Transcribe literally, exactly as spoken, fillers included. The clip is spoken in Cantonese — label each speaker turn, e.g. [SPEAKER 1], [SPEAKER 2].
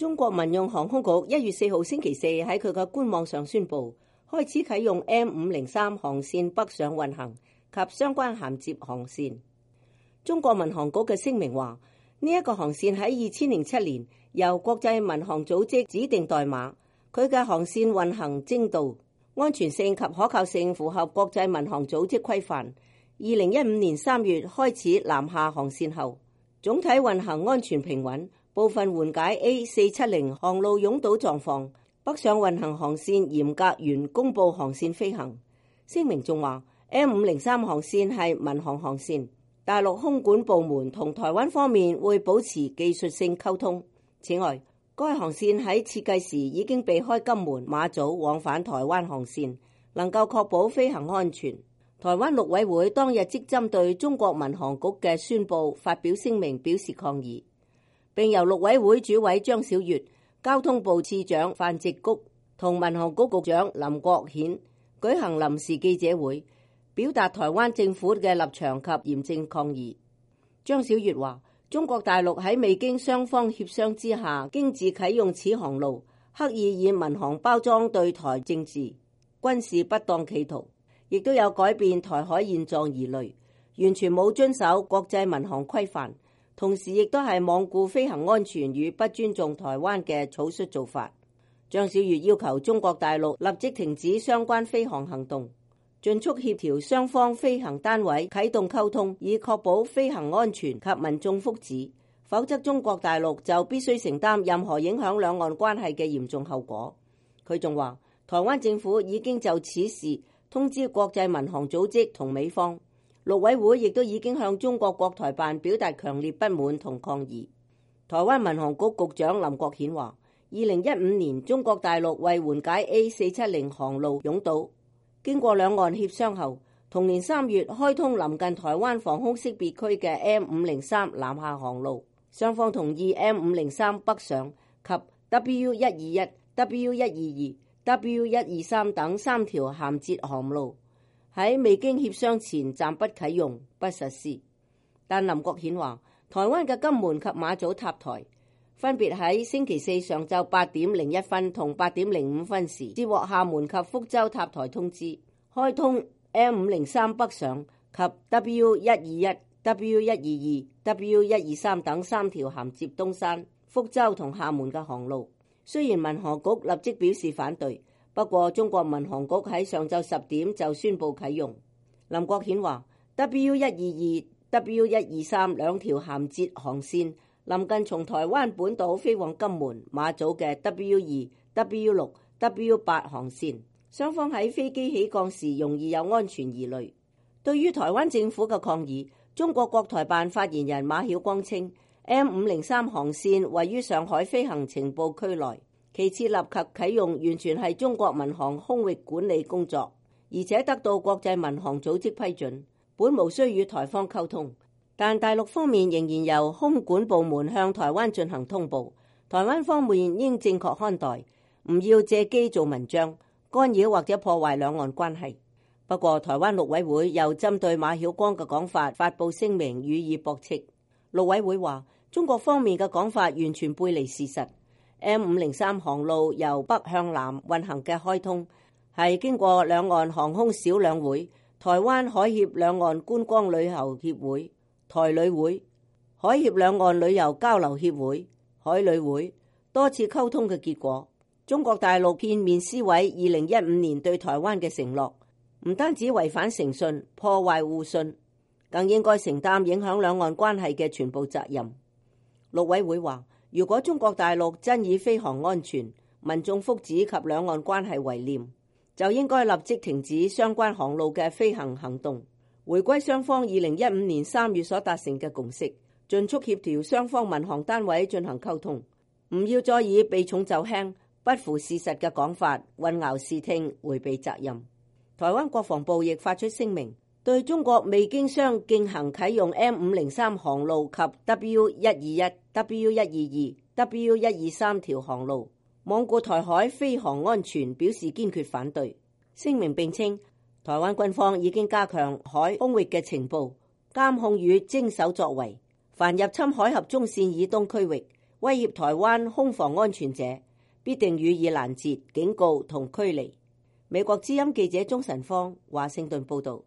[SPEAKER 1] 中國民用航空局一月四號星期四喺佢嘅官網上宣布，開始啟用 M 五零三航線北上運行及相關銜接航線。中國民航局嘅聲明話，呢、這、一個航線喺二千零七年由國際民航組織指定代碼，佢嘅航線運行精度、安全性及可靠性符合國際民航組織規範。二零一五年三月開始南下航線後，總體運行安全平穩，部分緩解 A 四七零航路擁堵狀況。北上運行航線嚴格沿公佈航線飛行。聲明仲話 M 五零三航線係民航航線，大陸空管部門同台灣方面會保持技術性溝通。此外，該航線喺設計時已經避開金門、馬祖往返台灣航線，能夠確保飛行安全。台灣陸委會當日即針對中國民航局嘅宣佈發表聲明表示抗議，並由陸委會主委張曉月、交通部次長范植谷同民航局局長林國顯舉行臨時記者會，表達台灣政府嘅立場及嚴正抗議。張曉月話，中國大陸喺未經雙方協商之下經自啟用此航路，刻意以民航包裝對台政治、軍事不當企圖，亦都有改變台海現狀疑慮，完全冇遵守國際民航規範，同時亦都係罔顧飛行安全與不尊重台灣嘅草率做法。張曉月要求中國大陸立即停止相關飛航行動，盡速協調雙方飛行單位啟動溝通，以確保飛行安全及民眾福祉，否則中國大陸就必須承擔任何影響兩岸關係嘅嚴重後果。佢仲話，台灣政府已經就此事通知國際民航組織同美方，陸委會亦都已經向中國國台辦表達強烈不滿同抗議。台灣民航局局長林國顯話，二零一五年中國大陸為緩解 A 四七零航路擁堵，經過兩岸協商後，同年三月開通臨近台灣防空識別區嘅 M 五零三南下航路，雙方同意 M 五零三北上及 W 一二一、W 一二二、W 一二三等三條銜接航路喺未經協商前暫不啟用不實施。但林國顯話，台灣嘅金門及馬祖塔台分別喺星期四上晝八點零一分同八點零五分時接獲廈門及福州塔台通知，開通 M 五零三北上及 W 一二一、W 一二二、W 一二三等三條銜接東山、福州同廈門嘅航路。雖然民航局立即表示反對，不過中國民航局喺上晝十點就宣布啟用。林國顯話 W 一二二、W 一二三兩條銜接航線臨近從台灣本島飛往金門、馬祖嘅 W 二、W 六、W 八航線，雙方喺飛機起降時容易有安全疑慮。對於台灣政府嘅抗議，中國國台辦發言人馬曉光稱，M 五零三航線位於上海飛行情報區內，其設立及啟用完全係中國民航空域管理工作，而且得到國際民航組織批准，本無需與台方溝通。但大陸方面仍然由空管部門向台灣進行通報，台灣方面應正確看待，唔要借機做文章，干擾或者破壞兩岸關係。不過台灣陸委會又針對馬曉光嘅講法發布聲明予以駁斥。陸委會話，中國方面嘅講法完全背離事實。M 五零三航路由北向南運行嘅開通，係經過兩岸航空小兩會、台灣海協兩岸觀光旅遊協會、台旅會、海協兩岸旅遊交流協會、海旅會多次溝通嘅結果。中國大陸片面撕毀二零一五年對台灣嘅承諾，唔單止違反誠信、破壞互信，更應該承擔影響兩岸關係嘅全部責任。陸委會話，如果中國大陸真以飛航安全、民眾福祉及兩岸關係為念，就應該立即停止相關航路嘅飛行行動，回歸雙方二零一五年三月所達成嘅共識，盡速協調雙方民航單位進行溝通，唔要再以避重就輕、不符事實嘅講法混淆視聽、迴避責任。台灣國防部亦發出聲明，對中國未經商進行啟用 M 五零三航路及 W 一二一、W 一二二、W 一二三條航路罔顧台海飛航安全表示堅決反對。聲明並稱，台灣軍方已經加強海空域嘅情報監控與偵搜作為，凡入侵海峽中線以東區域威脅台灣空防安全者，必定予以攔截、警告同驅離。美國之音記者鍾晨芳華盛頓報道。